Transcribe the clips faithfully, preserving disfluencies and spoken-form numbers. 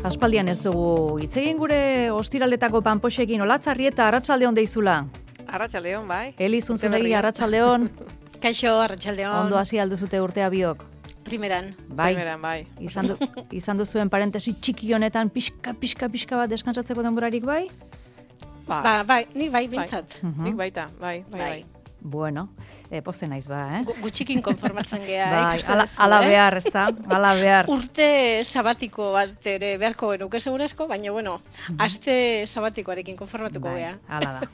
Aspaldian ez dugu hitz egin gure ostiraletako panpoxekin. Olatzarrieta, arratsaldeon deizula. Arratsaldeon, bai. Eli Zunzunegi, arratsaldeon. Kaixo, arratsaldeon. Ondo hasi alduzute urtea biok. Primeran. Bai. Primeran, bai. Izan, du, izan duzuen parentesi txiki honetan pixka, pixka, pixka bat deskantsatzeko denborarik bai? Ba, Ba, bai, nik bai bintzat. Mhm. nik baita, bai, bai, bai. Bueno, eh, poste naiz ba, eh? Gu- Gutxikin konformatzen gea, Bai, ikusten ala, duzu, ala eh? behar, ez da? Ala behar. Urte sabatiko bat ere beharko genuke segurazko, baina bueno, aste sabatikoarekin konformatuko Bai, gea. hala da.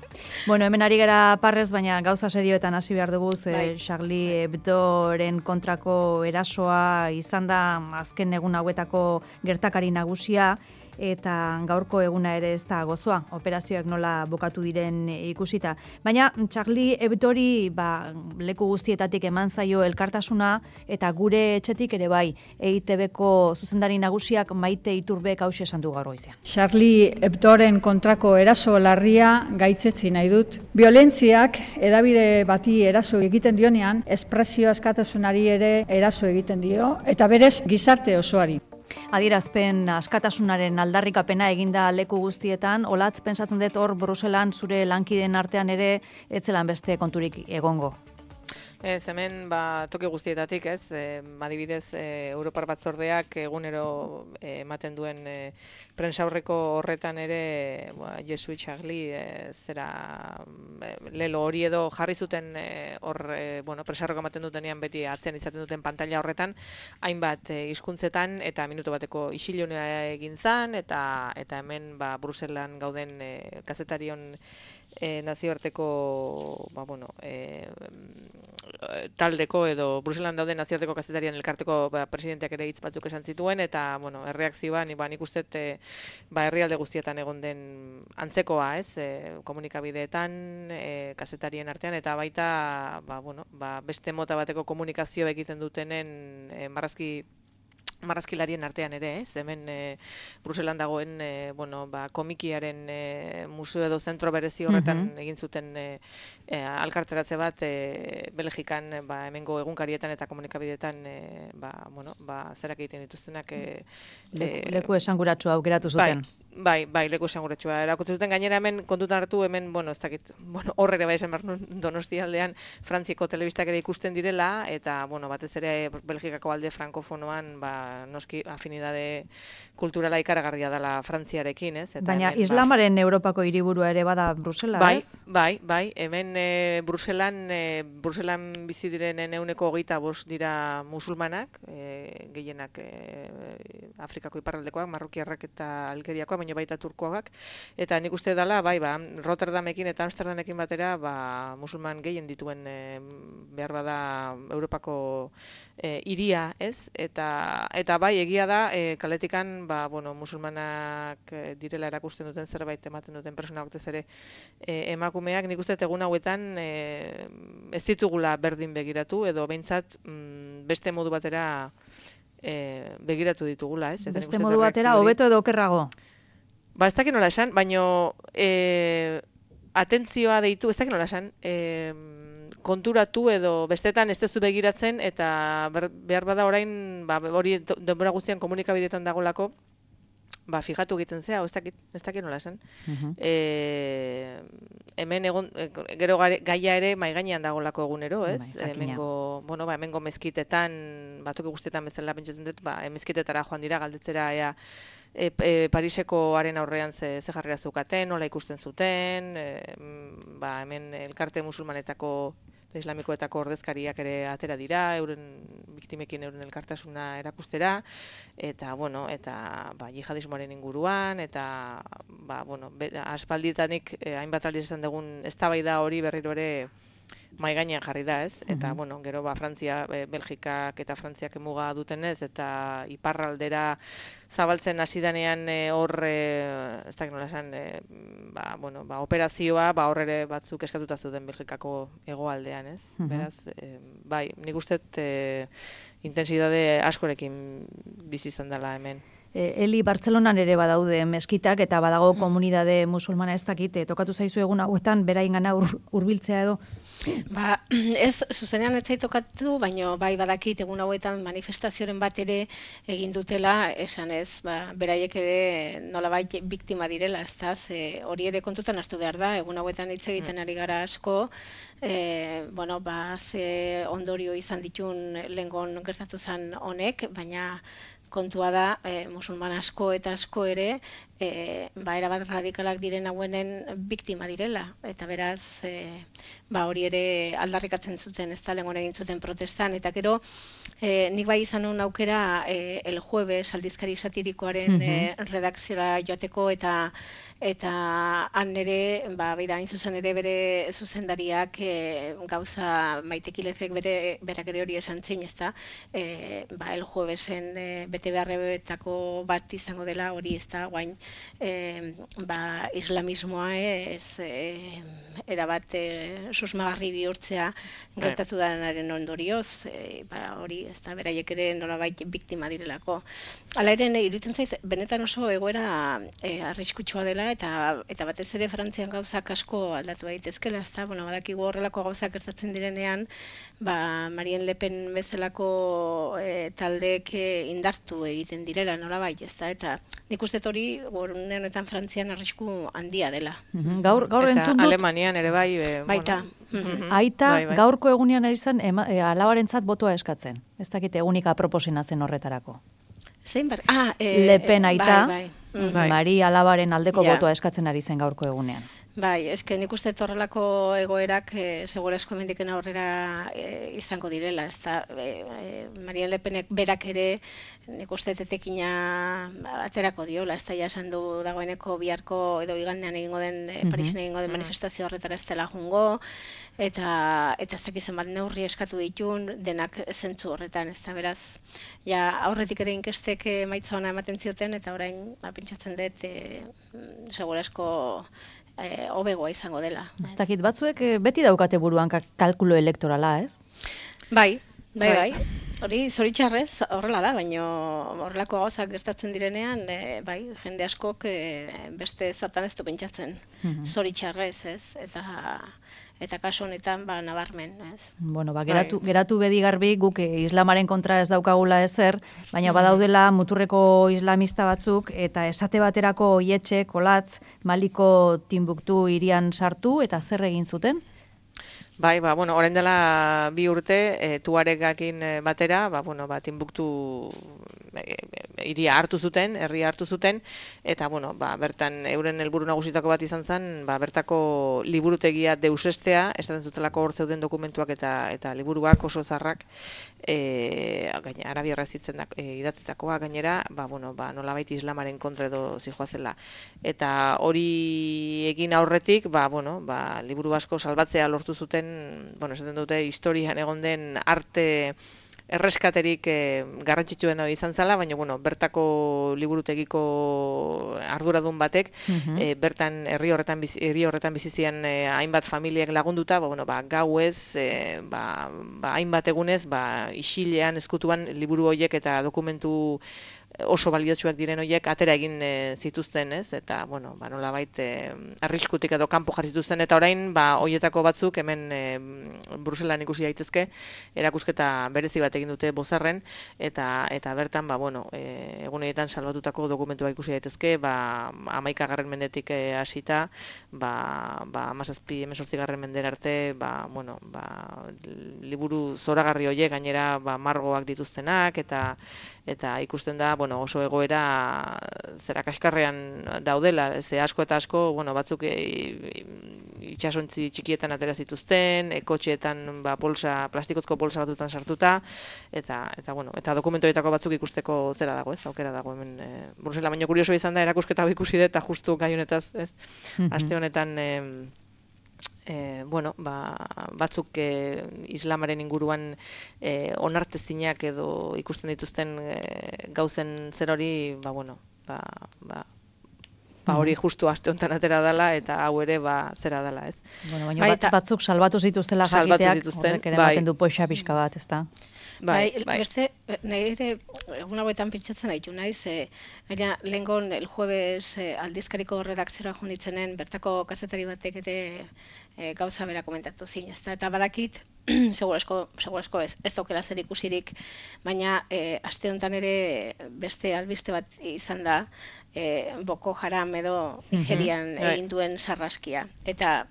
Bueno, hemen ari gara parrez, baina gauza serioetan hasi behar dugu, ze Bai. Charlie Hebdoren kontrako erasoa izan da azken egun hauetako gertakari nagusia, eta gaurko eguna ere ez da gozoa, operazioak nola bukatu diren ikusita. Baina Charlie Hebdori ba, leku guztietatik eman zaio elkartasuna, eta gure etxetik ere bai, E I Te Beko zuzendari nagusiak Maite Iturbek hauxe esan du gaur goizean. Charlie Hebdoren kontrako eraso larria gaitzetsi nahi dut. Violentziak edabide bati eraso egiten dionean, espresio askatasunari ere eraso egiten dio, eta berez gizarte osoari. Adierazpen askatasunaren aldarrikapena eginda leku guztietan, olatz pentsatzen dut hor Bruselan zure lankideen artean ere etzelan beste konturik egongo. Ez, hemen ba, toki guztietatik, ez, e, adibidez, e, Europar Batzordeak egunero e, ematen duen e, prentsaurreko horretan ere, ba, Jesuit Charlie, e, zera, e, lelo hori edo jarri zuten e, hor, e, bueno, prentsaurreko ematen dutenean beti atzean izaten duten pantalla horretan, hainbat e, hizkuntzetan eta minutu bateko isilunea egin zan, eta, eta hemen ba, Bruselan gauden e, kazetarion E, nazioarteko ba, bueno, e, taldeko edo Bruselan dauden nazioarteko kazetarian elkarteko ba, presidenteak ere hitz batzuk esan zituen, eta bueno, erreakzioa ni ba, nik uste e, ba, herrialde guztietan egon den antzekoa, ez, e, komunikabideetan, e, kazetarien artean, eta baita ba, bueno, ba, beste mota bateko komunikazio egiten dutenen e, marrazki marrazkilarien artean ere, ez? Hemen e, Bruselan dagoen e, bueno, ba, komikiaren e, museo edo zentro berezi horretan Mhm. egin zuten e, e, alkarteratze bat e, Belgikan ba, hemengo egunkarietan eta komunikabideetan e, ba, bueno, ba, zerak egiten dituztenak e, Leku, e, leku esanguratsua aukeratu zuten. Bai, bai, leku esanguratsua. Erakutsi zuten gainera hemen kontutan hartu hemen, bueno, ez dakit, bueno, hor ere bai esan behar nuen Donostia aldean Frantziako telebistak ere ikusten direla, eta, bueno, batez ere Belgikako alde frankofonoan, ba, noski afinidade kulturala ikaragarria dela Frantziarekin, ez? Eta Baina hemen, ba, islamaren Europako hiriburua ere bada Brusela, Bai, ez? bai, bai, hemen e, Bruselan, e, Bruselan bizi direnen ehuneko hogeita bost dira musulmanak, e, gehienak e, Afrikako iparraldekoak, marrokiarrak eta algeriakoak, baina baita turkoak, eta nik uste dela, bai, ba, Rotterdamekin eta Amsterdamekin batera, ba, musulman gehien dituen e, behar bada Europako e, hiria, ez? Eta, eta bai, egia da, e, kaletikan, ba, bueno, musulmanak e, direla erakusten duten zerbait ematen duten persona batez ere e, emakumeak, nik uste dut egun hauetan e, ez ditugula berdin begiratu, edo behintzat mm, beste modu batera e, begiratu ditugula, ez? Eta nik Beste uste dut modu batera, erreakzio hori- hobeto edo okerrago. Ba, ez dakit nola esan, baino e, atentzioa deitu, ez dakit nola esan, e, konturatu edo bestetan ez tezu begiratzen, eta ber, behar bada orain, ba, hori do- denbora guztian komunikabideetan dagolako, ba, fijatu egiten zea, ez dakit, ez dakit nola esan. Mhm. E, hemen egon, e, gero gare- gaia ere mai gainean dagolako egunero, ez? Bai, jakina. Hemengo, bueno, ba, hemengo mezkitetan, batzuk guztietan bezala pentsatzen dut, ba, mezkitetara joan dira galdetzera ea e, e, Pariseko haren aurrean ze, ze jarrera zeukaten, nola ikusten zuten, e, mm, ba, hemen elkarte musulmanetako eta islamikoetako ordezkariak ere atera dira, euren biktimekin euren elkartasuna erakustera, eta, bueno, eta ba, jihadismoaren inguruan, eta, ba, bueno, be, aspaldietanik eh, hainbat aldiz esan dugun eztabaida hori berriro ere mai gainean jarri da, ez? Eta, Mhm. bueno, gero, ba, Frantzia, e, Belgikak eta Frantziak muga dutenez, eta iparraldera zabaltzen hasi danean e, hor, e, ez dakit nola esan, e, ba, bueno, ba, operazioa, ba, hor ere batzuk eskatuta zuten Belgikako hegoaldean, ez? Mhm. Beraz, e, bai, nik uste dut e, intensidade askorekin bizi izan dela hemen. Eli, Bartzelonan ere badaude meskitak eta badago komunidade musulmana ez dakit, tokatu zaizu egun hauetan beraingana hurbiltzea edo? Ba, ez zuzenean ez zait tokatu, baina bai badakit egun hauetan manifestazioren bat ere egin dutela, esan ez, ba, beraiek ere nolabait biktima direla, ez da, hori ere kontutan hartu behar da, egun hauetan hitz egiten ari gara asko, e, bueno, ba, ze ondorio izan ditun lehengon gertatu zen honek, baina kontua da, e, musulman asko eta asko ere, e, ba, erabat radikalak diren hauenen biktima direla. Eta beraz, e, ba, hori ere aldarrikatzen zuten, ez da, lehengon egin zuten protestan. Eta gero, e, nik bai izan nuen aukera, e, El Jueves, aldizkari satirikoaren e, redakziora joateko, eta eta han ere, ba, beida, hain zuzen ere bere zuzendariak e, gauza Maitekilezek bere berak ere hori esan zin, ez da, e, ba, El Juevesen e, bete beharrebetako bat izango dela hori, ez da, guain, e, ba, islamismoa ez e, erabat e, susmagarri bihurtzea gertatu danaren ondorioz, e, ba, hori, ez da, beraiek ere nolabait biktima direlako. Hala ere, iruditzen zaiz, benetan oso egoera e, arriskutsua dela, eta eta batez ere Frantzian gauzak asko aldatu daitezkela, ezta, bueno, badakigu horrelako gauzak gertatzen direnean, ba Marine Le Pen bezalako e, taldeek e, indartu egiten direla nolabait, ezta, eta nik uste hori une honetan Frantzian arrisku handia dela. Mm-hmm. Gaur gaur eta entzun dut Alemanian ere bai, e, baita. Bueno. Mm-hmm. Aita Bai, bai. gaurko egunean ari zen e, alabarentzat botoa eskatzen. Ez dakite egunika proposena zen horretarako. Zein bar? Ah, e, Le Pen aita, bai, bai. Bai. Mari alabaren aldeko Ja. botoa eskatzen ari zen gaurko egunean. Bai, eske nik uste horrelako egoerak e, segurazko hemendiken aurrera e, izango direla, ez da, e, e, Marine Le Penek berak ere nik uste etekina aterako diola, ez da, ja esan du dagoeneko biharko edo igandean egingo den, e, Parisen egingo den manifestazio horretara ez dela jungo, eta eta ez dakizen bat neurri eskatu ditun, denak zentzu horretan, ez da, beraz, ja aurretik ere inkestek emaitza ona ematen zioten, eta orain, ba, pentsatzen dut, e, segurazko E, hobegoa izango dela. Ez dakit batzuek eh, beti daukate buruan ka- kalkulo elektorala, ez? Bai, bai, Bai. bai. Hori zoritxarrez horrela da, baina horrelako gauzak gertatzen direnean, e, bai, jende askok e, beste zatan ez du pentsatzen. Zoritxarrez, ez? Eta eta kasu honetan ba nabarmen, ez? Bueno, ba, geratu, Bai. geratu bedi garbi guk eh, islamaren kontra ez daukagula ezer, baina badaudela muturreko islamista batzuk eta esate baterako Oietxe, Kolatz, Maliko Timbuktu hirian sartu eta zer egin zuten? Bai, ba, bueno, orain dela bi urte, e, tuaregakin e, batera, ba, bueno, ba, Timbuktu e, e, hiria hartu zuten, herria hartu zuten, eta, bueno, ba, bertan euren helburu nagusitako bat izan zen, ba, bertako liburutegia deusestea, esaten zutelako hor zeuden dokumentuak eta eta liburuak oso zarrak, e, gaina, arabierraz hitzen da, e, idatzitakoa gainera, ba, bueno, ba, nolabait islamaren kontra edo zijoazela. Eta hori egin aurretik, ba, bueno, ba, liburu asko salbatzea lortu zuten, bueno, esaten dute historian egon den arte erreskaterik eh, garrantzitsuena izan zala, baina bueno, bertako liburutegiko arduradun batek eh, bertan herri horretan bizi, herri horretan bizi ziren eh, hainbat familiak lagunduta, ba, bueno, ba, gauez, eh, ba, ba, hainbat egunez, ba, isilean eskutuan liburu horiek eta dokumentu oso baliotsuak diren horiek atera egin e, zituzten, ez? Eta, bueno, ba, nolabait e, arriskutik edo kanpo jarri zituzten, eta orain, ba, horietako batzuk hemen e, Bruselan ikusi daitezke, erakusketa berezi bat egin dute Bozarren, eta eta bertan, ba, bueno, e, egun horietan salbatutako dokumentuak ikusi daitezke, ba, hamaikagarren mendetik e, hasita, ba, ba, hamazazpi, hemezortzigarren mendera arte, ba, bueno, ba, liburu zoragarri horiek gainera, ba, margoak dituztenak, eta eta ikusten da, bueno, oso egoera zera kaskarrean daudela, ze asko eta asko, bueno, batzuk e, itsasontzi txikietan atera zituzten, e, kotxeetan ba bolsa, plastikozko bolsa batutan sartuta, eta eta bueno, eta dokumentuetako batzuk ikusteko zera dago, ez? Aukera dago hemen e, Brusela, baina kurioso izan da erakusketa hau ikusi dut, eta justu gai honetaz, ez? Aste honetan e, E, bueno, ba, batzuk e, islamaren inguruan e, onartezinak edo ikusten dituzten e, gauzen zer hori, ba, bueno, ba, ba, ba hori justu aste honetan atera dela, eta hau ere ba zera dela, ez? Bueno, baina bat, batzuk salbatu zituztela jakiteak, horrek ere ematen du poxa pixka bat, ezta? Bai, bai, bai. beste, nire egun hauetan pentsatzen haitu naiz, e, gaina lehengon el jueves e, aldizkariko redakziora junitzenen bertako kazetari batek ere e, gauza bera komentatu zin, ezta? Eta badakit, segurasko, segurasko ez, ez daukela zer ikusirik, baina e, aste honetan ere beste albiste bat izan da, e, Boko Haram edo Nigerian Mhm, bai. egin duen sarraskia. Eta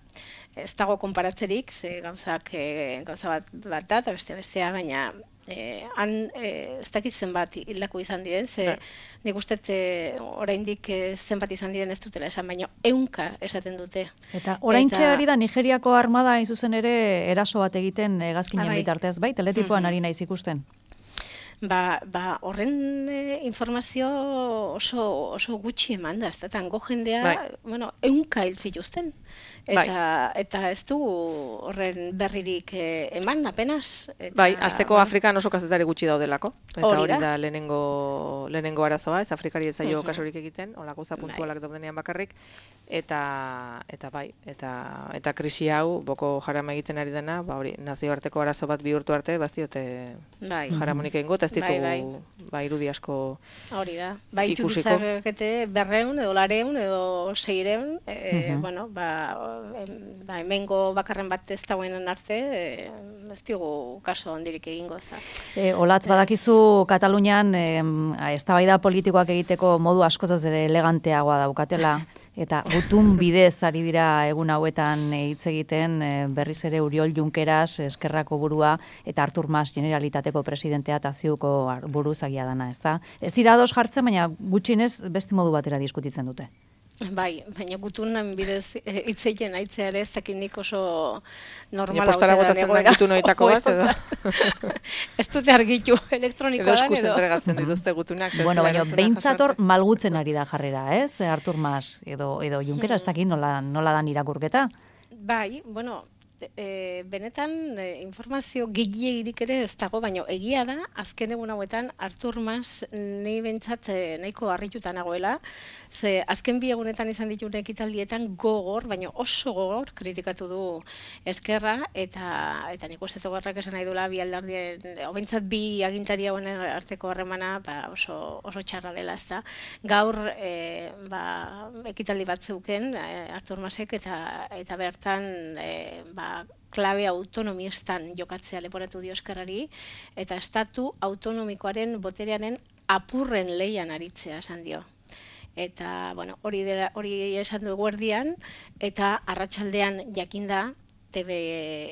ez dago konparatzerik, ze gauzak e, gauza bat bat da, eta beste bestea, baina e, han e, ez dakit zenbat hildako izan diren, ze Bai. nik uste e, oraindik e, zenbat izan diren ez dutela esan, baina ehunka esaten dute. Eta oraintxe Eta- ari da Nigeriako armada hain zuzen ere eraso bat egiten hegazkinen Ah, bai. bitartez, bai, teletipoan Mhm. ari naiz ikusten. Ba, ba horren e, informazio oso, oso gutxi eman da, ez da, tango jendea, Bai. bueno, ehunka hil zituzten. Eta, Bai. eta ez du horren berririk e, eman, apenas. Eta, Bai, azteko ba, Afrikan oso kazetari gutxi daudelako. Eta Hori hori da. da lehenengo, lehenengo arazoa, ez Afrikari ez zaio Mhm. kasurik egiten, holako za puntualak daudenean bakarrik. Eta, eta bai, eta, eta krisi hau, Boko Haram egiten ari dena, ba hori, nazioarteko arazo bat bihurtu arte, baztiote Bai. jaramonik egingo, eta ez ditugu, Bai, ba, irudi asko. Hori da. Bai, Ikusiko. ikusiko. berreun, edo lareun, edo seireun, e, Mhm. bueno, ba, em, ba, hemengo bakarren bat ez dagoenen arte, e, ez digu kaso ondirik egingo, za. E, olatz badakizu Katalunian em, eztabaida politikoak egiteko modu askoz ez ere eleganteagoa daukatela, eta gutun bidez ari dira egun hauetan e, hitz egiten e, berriz ere Uriol Junqueras Eskerrako burua eta Artur Mas Generalitateko presidentea eta ziuko ar- buruzagia dana, ez da? Ez dira ados jartzen, baina gutxienez beste modu batera diskutitzen dute. Bai, baina gutunan bidez e, hitz egiten aitzea ere ez dakit nik oso normala Postara ote dan botatzen da egoera. gutun horietako bat, edo, Ez dute argitu edo elektronikoa dan, eskuz edo. entregatzen dituzte gutunak. ez Bueno, dela baina erantzuna behintzat jaso hor arte. malgutzen ari da jarrera, ez? Artur Mas edo, edo Junqueras, ez dakit nola, nola dan irakurketa. Bai, bueno, e, benetan e, informazio gehiegirik ere ez dago, baina egia da, azken egun hauetan Artur Mas nahi bentsat e, nahiko harrituta nagoela, ze azken bi egunetan izan dituen ekitaldietan gogor, baina oso gogor kritikatu du Eskerra, eta eta nik uste horrek esan nahi duela bi alderdien, obentzat bi agintari hauen arteko harremana ba, oso, oso txarra dela, ez da. Gaur e, ba, ekitaldi bat zeuken e, Artur Masek eta, eta bertan e, ba, klabe autonomistan jokatzea leporatu dio Eskerrari, eta estatu autonomikoaren boterearen apurren leian aritzea esan dio. Eta, bueno, hori, dela, hori esan du eguerdian, eta arratsaldean jakinda, T V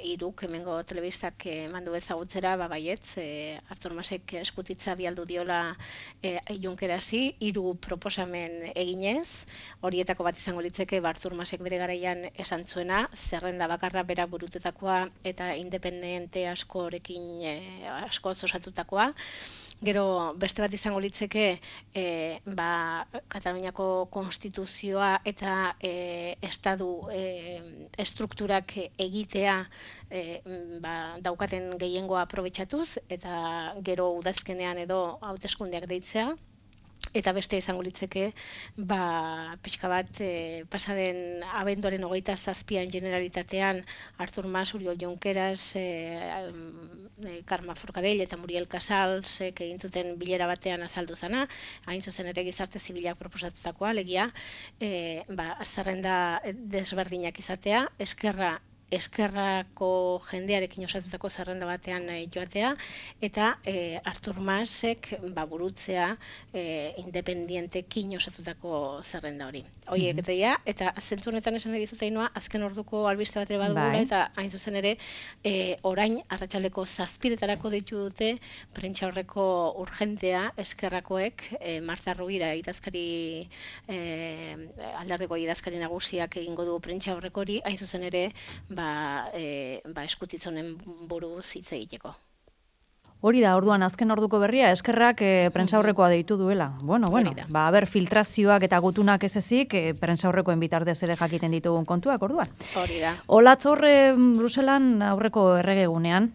hiruk hemengo telebistak emandu ezagutzera, ba baietz, e, Artur Masek eskutitza bialdu diola e, Junquerasi, hiru proposamen eginez, horietako bat izango litzeke ba, Artur Masek bere garaian esan zuena, zerrenda bakarra bera burututakoa eta independente askorekin e, asko osatutakoa. Gero beste bat izango litzeke e, ba, Kataluniako konstituzioa eta e, estadu e, estrukturak egitea e, ba, daukaten gehiengoa aprobetxatuz, eta gero udazkenean edo hauteskundeak deitzea. Eta beste izango litzeke, ba, pixka bat, e, pasaden abenduaren hogeita zazpian Generalitatean Artur Mas, Uriol Junqueras, e, e, Carme Forcadell eta Muriel Casals e, egin zuten bilera batean azaldu zana, hain zuzen ere gizarte zibilak proposatutakoa, alegia, e, ba, zerrenda desberdinak izatea, Eskerra Eskerrako jendearekin osatutako zerrenda batean e, joatea, eta e, Artur Masek ba, burutzea e, independientekin osatutako zerrenda hori. Horiek eta ja, eta zentzu honetan esan nahi dizut Ainhoa, azken orduko albiste bat ere badugula, Bai. eta hain zuzen ere e, orain arratsaldeko zazpiretarako deitu dute prentsaurreko urgentea Eskerrakoek, e, Marta Rubira idazkari e, alderdeko idazkari nagusiak egingo du prentsaurreko hori, hain zuzen ere ba, e, ba eskutitzonen buruz hitz egiteko. Hori da, orduan azken orduko berria, Eskerrak e, prentsaurrekoa deitu duela. Bueno, bueno, Hori da. ba, ber, filtrazioak eta gutunak ez ezik, e, prentsaurrekoen bitartez ere jakiten ditugun kontuak, orduan. Hori da. Olatz horre Bruselan aurreko erregegunean,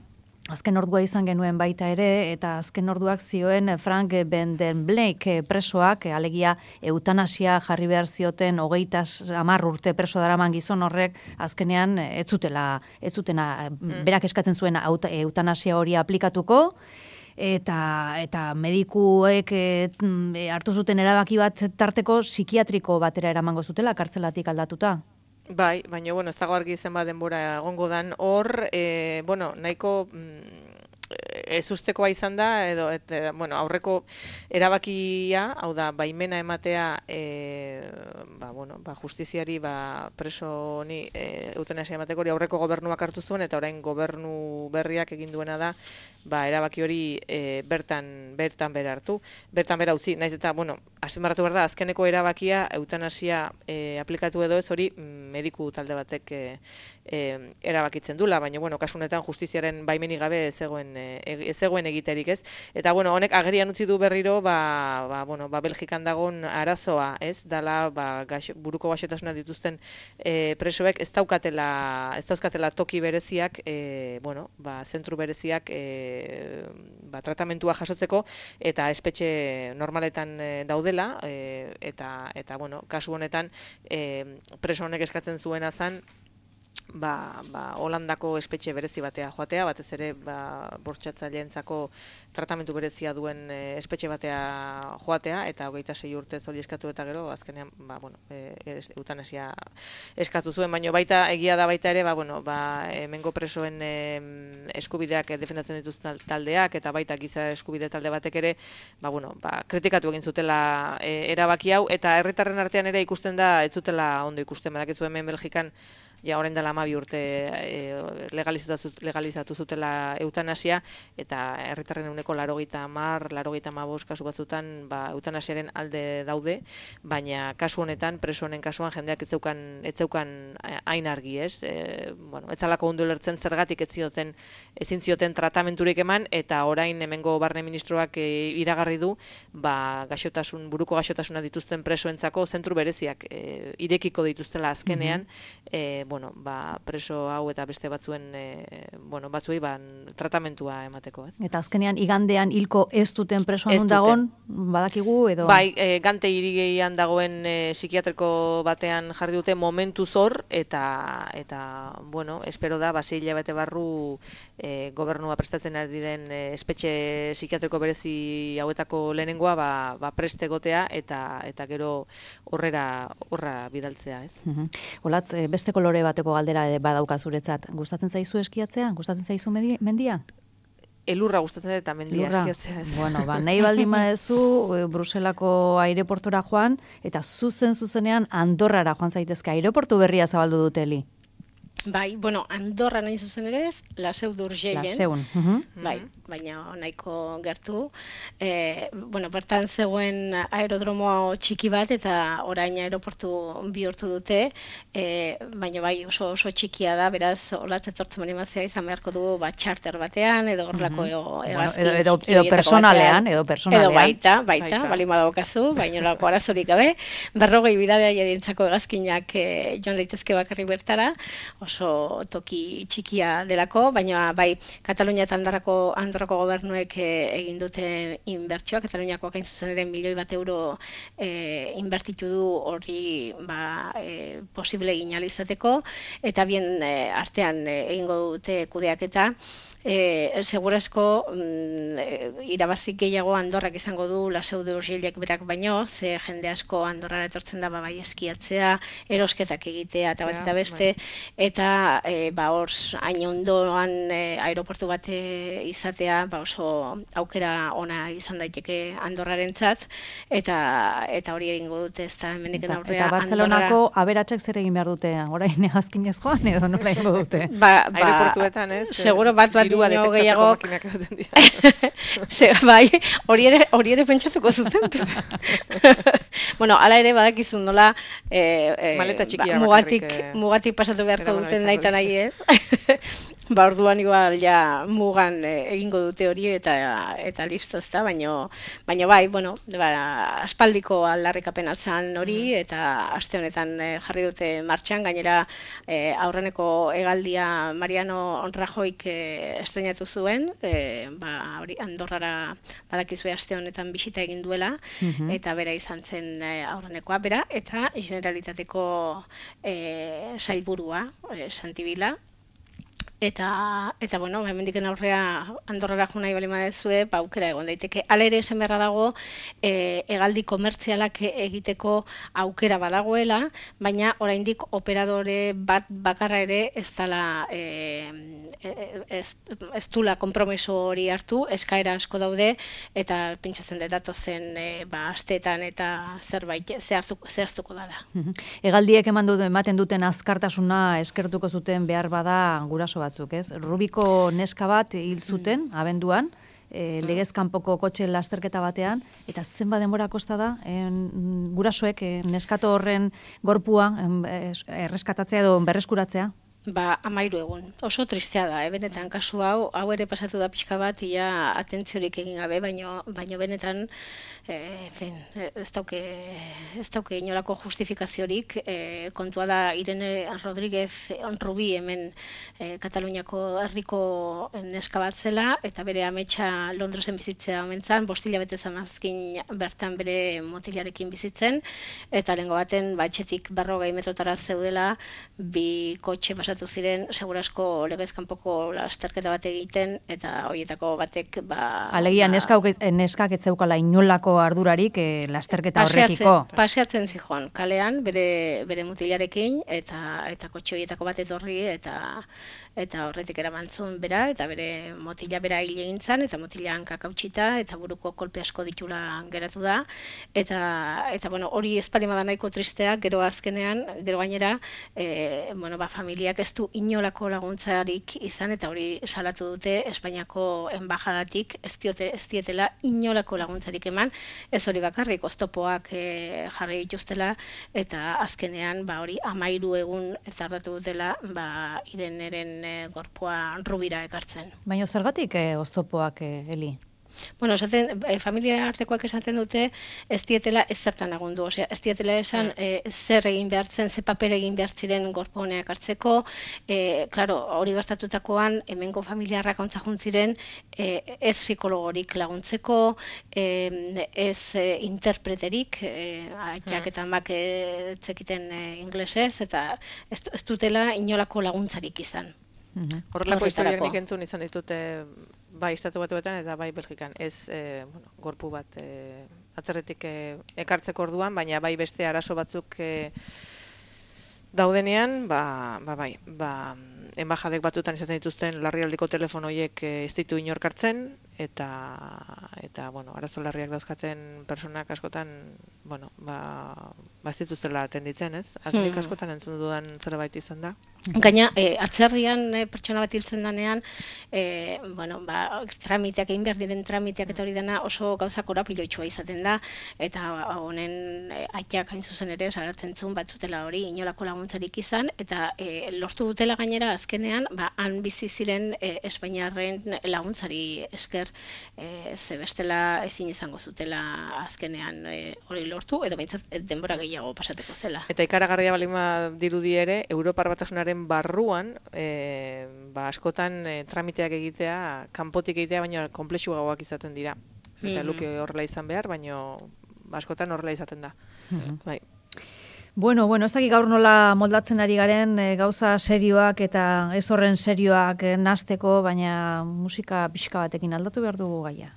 azken ordua izan genuen baita ere, eta azken orduak zioen Frank Ben den Blake presoak, alegia eutanasia jarri behar zioten hogeita hamar urte preso daraman gizon horrek, azkenean ez zutela, ez zutena, berak eskatzen zuen eutanasia hori aplikatuko, eta eta medikuek e, hartu zuten erabaki bat tarteko psikiatriko batera eramango zutela kartzelatik aldatuta. Bai, baina, bueno, ez dago argi zenbat denbora egongo dan hor, e, bueno, nahiko ez ustekoa izan da, edo, et, bueno, aurreko erabakia, hau da, baimena ematea, e, ba, bueno, ba, justiziari, ba, preso honi e, eutanasia emateko hori aurreko gobernuak hartu zuen, eta orain gobernu berriak egin duena da, ba, erabaki hori e, bertan, bertan bera hartu, bertan bera utzi, naiz eta, bueno, azpimarratu behar da, azkeneko erabakia eutanasia e, aplikatu edo ez hori mediku talde batek e, e, erabakitzen dula, baina, bueno, kasu honetan justiziaren baimenik gabe ez zegoen, e, ez zegoen egiterik, ez? Eta, bueno, honek agerian utzi du berriro, ba, ba, bueno, ba, Belgikan dagoen arazoa, ez? Dala, ba, gaixo, buruko gaixotasuna dituzten e, presoek ez daukatela, ez dauzkatela toki bereziak, e, bueno, ba, zentru bereziak e, ba, tratamentua jasotzeko, eta espetxe normaletan e, daudela, e, eta, eta, bueno, kasu honetan e, preso honek eskatzen zuena zen, ba, ba, Holandako espetxe berezi batea joatea, batez ere ba, bortxatzaileentzako tratamentu berezia duen e, espetxe batea joatea, eta hogeita sei urtez hori eskatu eta gero, azkenean, ba, bueno, e, eutanasia eskatu zuen, baina baita egia da baita ere, ba, bueno, ba, hemengo presoen e, eskubideak defendatzen dituzten taldeak, eta baita giza eskubide talde batek ere, ba, bueno, ba, kritikatu egin zutela e, erabaki hau, eta herritarren artean ere ikusten da, ez zutela ondo ikusten, badakizu hemen Belgikan, ja orain dela hamabi urte e, legalizatu, legalizatu zutela eutanasia, eta herritarren ehuneko laurogeita hamar, laurogeita hamabost kasu batzutan ba, eutanasiaren alde daude, baina kasu honetan, preso honen kasuan jendeak ez zeukan, ez zeukan hain argi, ez? E, bueno, ez zalako ondo ulertzen zergatik ez zioten, ezin zioten tratamenturik eman, eta orain hemengo barne ministroak e, iragarri du, ba, gaixotasun, buruko gaixotasuna dituzten presoentzako zentru bereziak e, irekiko dituztela azkenean, mm-hmm. e, bueno, ba, preso hau eta beste batzuen e, bueno, batzuei ba, tratamentua emateko. Ez? Eta azkenean igandean hilko ez duten presoan nun dagoen, badakigu edo? Bai, e, Gante hirian dagoen e, psikiatriko batean jarri dute momentu zor, eta, eta bueno, espero da, basi hilabete barru e, gobernua prestatzen ari den e, espetxe psikiatriko berezi hauetako lehenengoa ba, ba preste egotea, eta, eta gero horrera horra bidaltzea. Ez? Uh-huh. Olatz, beste kolore bateko galdera badauka zuretzat. Gustatzen zaizu eskiatzea? Gustatzen zaizu mendia? Elurra gustatzen eta mendia eskiatzea. Ez. Bueno, ba, nahi baldin badezu Bruselako aireportura joan, eta zuzen zuzenean Andorrara joan zaitezke. Aireportu berria zabaldu duteli. Bai, bueno, Andorra nahi zuzen ere ez, La Seu d'Urgellen. La Seun. Uh-huh. Bai, baina nahiko gertu. E, bueno, bertan zegoen aerodromo txiki bat, eta orain aeroportu bihurtu dute, e, baina bai oso oso txikia da, beraz, olatz etortzen animazioa izan beharko du bat charter batean, edo horrelako uh-huh. egazkin bueno, edo, edo, edo personalean, edo personalean. Edo baita, baita, baita. Bali madaukazu, baina lako arazorik gabe, berrogei biradea jadientzako egazkinak e, joan daitezke bakarrik bertara, oso toki txikia delako, baina bai Katalunia eta Andorrako, Andorrako gobernuek e, egin dute inbertsioa, Kataluniakoak hain zuzen ere milioi bat euro e, inbertitu du hori ba, e, posible egin alizateko, eta bien e, artean e, egingo dute kudeaketa. E, segurazko mm, irabazik gehiago Andorrak izango du La Seu d'Urgellek berak baino, ze jende asko Andorrara etortzen da ba, bai eskiatzea, erosketak egitea eta bat eta beste, eta e, ba, hor hain ondoan e, aeroportu bat izatea ba, oso aukera ona izan daiteke Andorrarentzat, eta eta hori egingo dute ez da hemendiken aurrea. Eta Barcelonako Andorra... aberatsek zer egin behar dute, orain egazkinez joan edo nola egingo dute? Ba, ba, aeroportuetan ez? Seguro bat bat dino gehiagok. Bai, hori ere, hori ere pentsatuko zuten. Bueno, ala ere badakizun nola e, e, ba, mugatik, eh, mugatik pasatu beharko duten nahi eta nahi ez. Ba, orduan igual ja mugan e, egingo dute hori eta eta listo, ezta, baino baino bai, bueno, ba, aspaldiko aldarrikapen atzan hori eta aste honetan e, jarri dute martxan, gainera e, aurreneko hegaldia Mariano Rajoyk e, estreinatu zuen, e, ba, hori Andorrara badakizue aste honetan bisita egin duela, uh-huh. eta bera izan zen e, aurrenekoa, bera, eta Generalitateko e, sailburua, e, Santibila, Eta, eta bueno, hemendiken aurrea Andorrara jo nahi bali baduzue, ba aukera egon daiteke. Hala ere esan beharra dago, e, hegaldi komertzialak egiteko aukera badagoela, baina oraindik operadore bat bakarra ere ez dela e, ez, ez dula konpromiso hori hartu, eskaera asko daude, eta pentsatzen dut datozen e, ba, asteetan eta zerbait zehaztuko, zehaztuko dela. Hegaldiek eman dut, ematen duten azkartasuna eskertuko zuten behar bada guraso batzuk, ez? Rubiko neska bat hil zuten, abenduan, e, legez kanpoko kotxe lasterketa batean, eta zenba denbora kosta da, en, gurasoek e, neskato horren gorpua en, erreskatatzea edo berreskuratzea? Ba, amairu egun. Oso tristea da, eh? Benetan, kasu hau, hau ere pasatu da pixka bat, ia atentziorik egin gabe, baino, baino benetan, eh, fin, ez dauke, ez dauke inolako justifikaziorik, eh, kontua da Irene Rodríguez Rubi hemen eh, Kataluniako herriko neska bat zela, eta bere ametsa Londresen bizitzea omentzan, bostila bete zamazkin bertan bere motilarekin bizitzen, eta lehengo baten, batxetik berrogei metrotara zeudela, bi kotxe pasatu ziren, segurasko legez kanpoko lasterketa bat egiten, eta horietako batek, ba... Alegia, ba, neskak, neskak ez zeukala inolako ardurarik eh, lasterketa horrekiko. Paseatzen zijoan, kalean, bere, bere mutilarekin, eta eta kotxe horietako bat etorri, eta eta horretik eramantzun bera, eta bere motila bera hil egin zan, eta motila hankak hautsita, eta buruko kolpe asko ditula geratu da, eta, eta bueno, hori espalima da nahiko tristea, gero azkenean, gero gainera, e, bueno, ba, familiak ez du inolako laguntzarik izan, eta hori salatu dute Espainiako enbajadatik, ez diote, ez dietela inolako laguntzarik eman, ez hori bakarrik, oztopoak e, jarri dituztela, eta azkenean, ba, hori amairu egun tardatu dutela, ba, Ireneren e, gorpua Rubira ekartzen. Baina zergatik e, oztopoak, e, Eli? Bueno, esaten, e, familia artekoak esaten dute ez dietela ez zertan lagundu, osea, ez dietela esan e, zer egin behartzen, ze paper egin behar ziren gorpo honeak hartzeko, e, claro, hori gertatutakoan hemengo familiarrak ontza juntziren e, ez psikologorik laguntzeko, e, ez e, interpreterik, e, aitak eta amak e, zekiten e, inglesez, eta ez, ez dutela inolako laguntzarik izan. Horrelako historiak nik entzun izan ditute bai estatu batuetan eta bai Belgikan. Ez e, bueno, gorpu bat e, atzerretik e, ekartzeko orduan, baina bai beste arazo batzuk e, daudenean, ba, ba bai, ba, enbajadek batutan izaten dituzten larrialdiko telefono horiek e, ez ditu inork hartzen, eta, eta bueno, arazo larriak dauzkaten personak askotan, bueno, ba, ba ez dituztela atenditzen, ez? Azkenik hmm. askotan entzun dudan zerbait izan da. Gaina, e, atzerrian e, pertsona bat hiltzen danean, e, bueno, ba, tramiteak, egin behar diren tramiteak eta hori dena oso gauza korapiloitsua izaten da, eta honen e, aitak hain zuzen ere, salatzen zuen batzutela hori inolako laguntzarik izan, eta e, lortu dutela gainera azkenean, ba, han bizi ziren e, Espainiarren laguntzari esker, e, ze bestela ezin izango zutela azkenean e, hori lortu, edo behintzat denbora gehiago pasateko zela. Eta ikaragarria balima dirudi ere, Europar Batasunaren barruan, e, ba, askotan e, tramiteak egitea, kanpotik egitea, baina konplexuagoak izaten dira. Eta mm-hmm. luke horrela izan behar, baina askotan horrela izaten da. Mm-hmm. Bai. Bueno, bueno, ez dakik gaur nola moldatzen ari garen e, gauza serioak eta ez horren serioak e, nasteko, baina musika pixka batekin aldatu behar dugu gaia.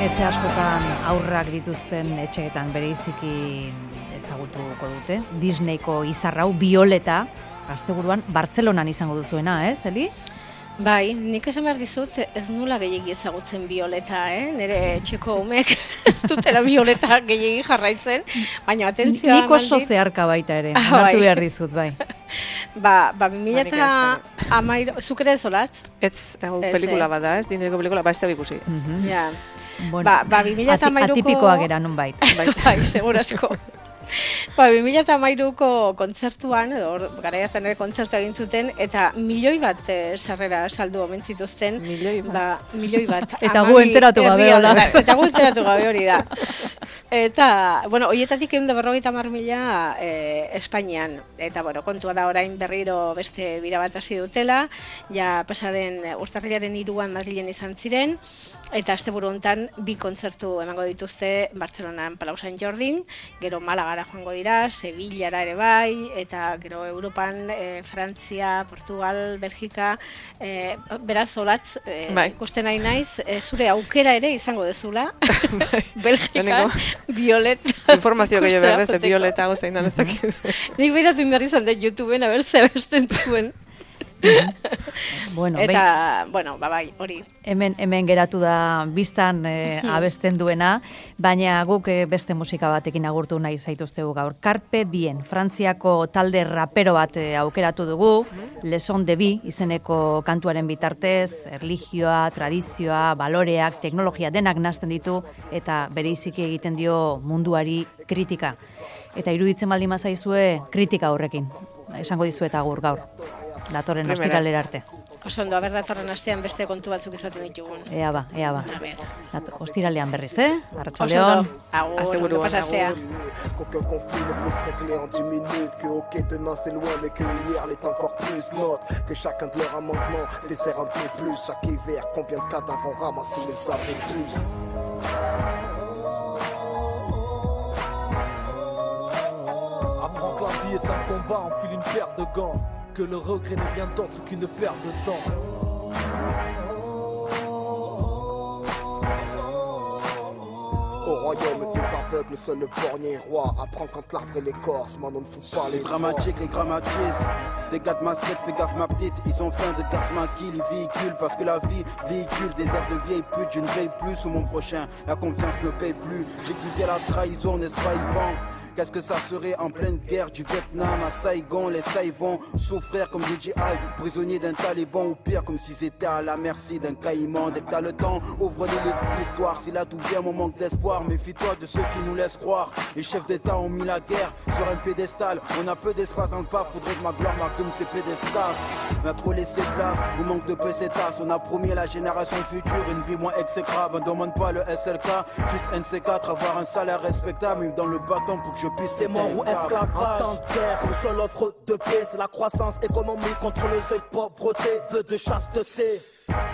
Etxe askotan aurrak dituzten etxeetan bereiziki ezagutuko dute. Disneyko izarrau, Violeta, gazteburuan, Bartzelonan izango duzuena, ez, Eli? Bai, nik esan behar dizut, ez nula gehiagi ezagutzen Violeta, eh? Nire etxeko umek ez dutela Violeta gehiagi jarraitzen, baina atentzioa... Nik oso zeharka baita ere, ah, hartu behar dizut, bai. Ba, ba, bi mila eta hamairu, zuk ere zolatz? Ez, hau pelikula bat da, ez, dineko pelikula, ba, ez da bikusi. Ja, bueno, ba, ba, bi mila eta hamairuko... Atipikoa gera, nun bait. Bai, segurazko. Ba, bi mila eta hamairuko kontzertuan, edo gara hartan ere kontzertu egin zuten, eta milioi bat e, sarrera saldu omen zituzten. Milioi bat. Ba, milioi bat. Eta gu enteratu gabe hola. Eta gu enteratu gabe hori da. Eta, bueno, horietatik ehun eta berrogeita hamar mila e, Espainian. Eta, bueno, kontua da orain berriro beste bira bat hasi dutela, ja pasaden urtarrilaren hiruan Madrilen izan ziren, eta asteburu hontan bi kontzertu emango dituzte Bartzelonan Palau Sant Jordin, gero Malagara joango dira, Sevillara ere bai, eta gero Europan, e, Frantzia, Portugal, Belgika, e, beraz olatz, e, bai. ikusten nahi naiz, e, zure aukera ere izango dezula, Bai. Belgikan, Violet. Informazio gehiago behar dez, Violeta gozein da, ez dakit. Nik behiratu inberri izan dut YouTubeen, haber ze abesten zuen. Bueno, Eta, behin, bueno, ba, bai, hori. hemen, hemen geratu da biztan e, abesten duena, baina guk e, beste musika batekin agurtu nahi zaituztegu gaur. Carpe Diem, Frantziako talde rapero bat e, aukeratu dugu, Leson de Bi izeneko kantuaren bitartez, erlijioa, tradizioa, baloreak, teknologia denak nazten ditu, eta bereiziki egiten dio munduari kritika. Eta iruditzen baldin mazaizue kritika horrekin. Esango dizuet agur gaur. Datorren ostiralera arte. Oso ondo, aber datorren astean beste kontu batzuk izaten ditugun. Ea ba, ea ba. A ber. Dat- Ostiralean berriz, eh? Oso Arratsaldeon. ondo. Agur, Asteburuan, ondo pasastea. Qu'aucun conflit ne peut se régler en dix minutes. Que ok demain c'est loin mais que hier l'est encore plus. Note que chacun de leurs amendements dessert un peu plus. Chaque hiver, combien de cadavres on ramasse sous les abris tous. Apprends que la vie est un combat, enfile une paire de gants. Que le regret n'est rien d'autre qu'une perte de temps. Au royaume des aveugles, seul le borgne est roi. Apprends quand l'arbre est l'écorce, maintenant ne fout pas les Les dramatiques, les grammatises. Des gars de ma street, fais gaffe ma petite. Ils ont faim de casse ma kill, ils véhiculent. Parce que la vie véhicule des airs de vieille pute. Je ne veille plus sur mon prochain, la confiance ne paye plus. J'ai goûté la trahison, n'est-ce pas Yvan? Qu'est-ce que ça serait en pleine guerre du Vietnam à Saigon? Les Saïs vont souffrir comme des G I, prisonniers d'un taliban ou pire comme s'ils étaient à la merci d'un caïman. Dès que t'as le temps, ouvre les livres de l'histoire. Si là tout vient mon manque d'espoir, méfie-toi de ceux qui nous laissent croire. Les chefs d'État ont mis la guerre sur un pédestal. On a peu d'espace dans le pas, faudrait que ma gloire marque comme ces pédestals. On a trop laissé place, au manque de pesetas. On a promis à la génération future une vie moins exécrable. On demande pas le S L K, juste N C quatre, avoir un salaire respectable. Même dans le bâton pour que je puisse C'est mort ou esclave en temps de guerre. Le seul offre de paix, c'est la croissance économique contre le seuil de pauvreté, vœu de chasteté.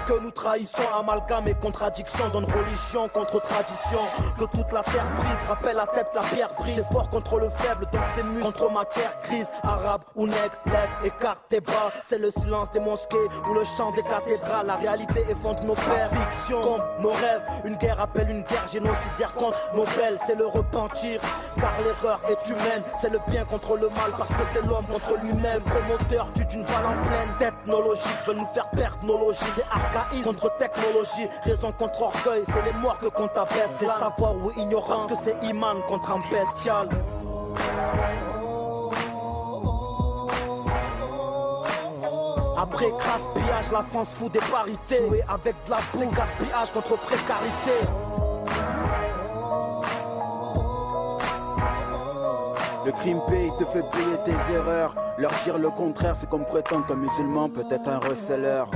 Que nous trahissons, amalgame et contradiction. Donne religion contre tradition. Que toute la terre brise, rappelle la tête, la pierre brise. C'est fort contre le faible, donc c'est muscle contre matière grise. Arabe ou nègre, lève, écarte tes bras. C'est le silence des mosquées ou le chant des cathédrales. La réalité effondre nos pères, fiction comme nos rêves. Une guerre appelle une guerre génocidaire contre nos belles. C'est le repentir, car l'erreur est humaine. C'est le bien contre le mal, parce que c'est l'homme contre lui-même. Promoteur tue d'une balle en pleine. Technologie veulent nous faire perdre nos logis. Archaïsme contre technologie, raison contre orgueil, c'est les morts que compte abaisse. C'est savoir ou ignorance, que c'est Iman contre un bestial. Après gaspillage, la France fout des parités. Jouer avec de la boue, c'est gaspillage contre précarité. Le crime paye, te fait payer tes erreurs. Leur dire le contraire, c'est comme prétendre qu'un musulman peut être un receleur.